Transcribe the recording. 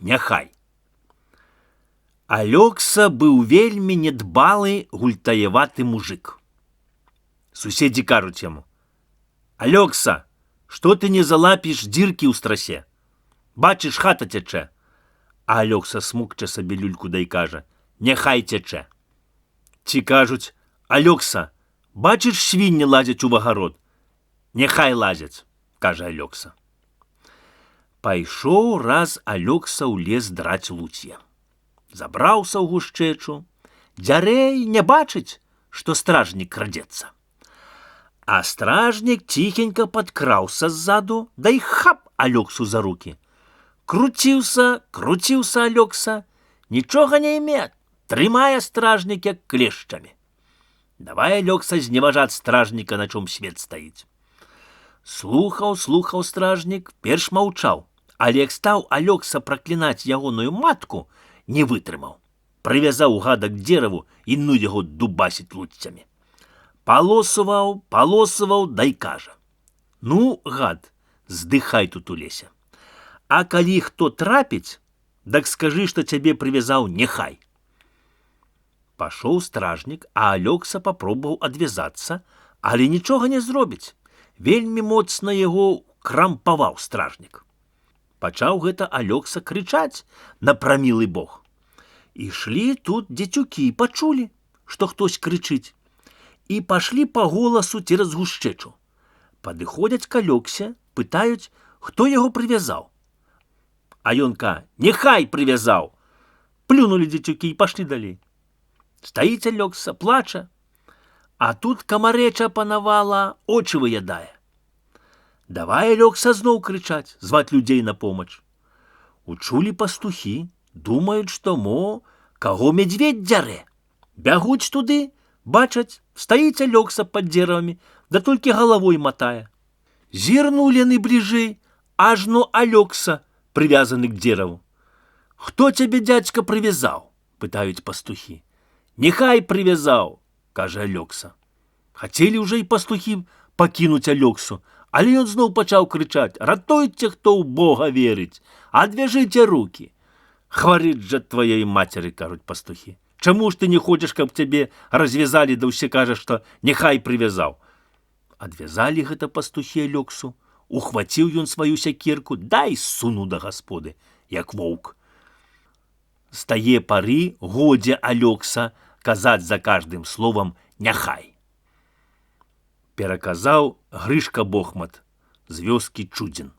няхай. Алёкса быў вельмі недбалы, гультаеваты мужик. Суседзі кажуць яму: «Алёкса, што ты не залапіш дзіркі ў страсе? Бачыш, хата цячэ». А Алёкса смукча сабе люльку да і кажа: «Няхай цячэ». Ці кажуць: «Алёкса, бачыш, свінні лазяць у агарод?» «Няхай лазяць», кажа Алёкса. Пайшоў раз Алёкса ў лес драць луцье. Забраўся ў гушчэчу, дзярэй не бачыць, што стражнік крадзецца. А стражнік ціхенька падкраўся ззаду, да і хап Алёксу за руки. Круціўся Алёкса, нічога не імет, трымае стражнік як клешчамі. Давай Алёкса зневажаць стражніка, на чым свет стаіць. Слухаў стражнік, перш маўчаў, але як стаў Алёкса праклінаць ягоную матку, не вытрымаў. Прывязаў гада к дзераву і ну яго дубасіць луццямі. Палосуваў, да і кажа: «Ну, гад, здыхай тут у лесе. А калі хто трапіць, дак скажы, што цябе прывязаў няхай». Пашоў стражнік, а Алёкса папробаваў адвязацца, але нічога не зробіць. Вельмі моцна яго крампаваў стражнік. Пачаў гэта Алёкса крычаць на прамілы бог. Ішлі тут дзецюкі, пачулі, што хтось крычыць, і пашлі па голасу цераз гушчэчу. Падыходзяць к Алёксе, пытаюць, хто яго прывязаў. А ён ка: «Няхай прывязаў». Плюнулі дзецюкі і пашлі далей. Стаіць Алёкса, плача, а тут камарэча панавала, очы выядае. Давай Алёкса зноў крычаць, зваць людзей на помач. Учулі пастухі, думаюць, што каго медведь дзярэ. Бягуць туды, бачаць, стаіць Алёкса пад дзеравамі, да толькі галавой матае. Зірнулі яны бліжэй, ажно Алёкса прывязаны к дзераву. «Хто цябе, дзядзька, прывязаў?» пытаюць пастухі. «Няхай прывязаў», кажа Алёкса. Хацелі ўжо і пастухі пакінуць Алёксу, але ён зноў пачаў крычаць: «Ратуйце, хто ў Бога верыць, адвяжыце руки». «Хварыць жа тваёй мацеры», кажуць пастухі. «Чаму ж ты не хочаш, каб цябе развязалі, да ўсе кажа, што няхай прывязаў?» Адвязалі гэта пастухі Алёксу, ухваціў ён сваю сякерку, да і сунуў да гасподы, як воўк. З тае пары годзе Алёкса казаць за каждым словам «няхай». Пераказаў Грышка Бохмат з вёскі Чудзін.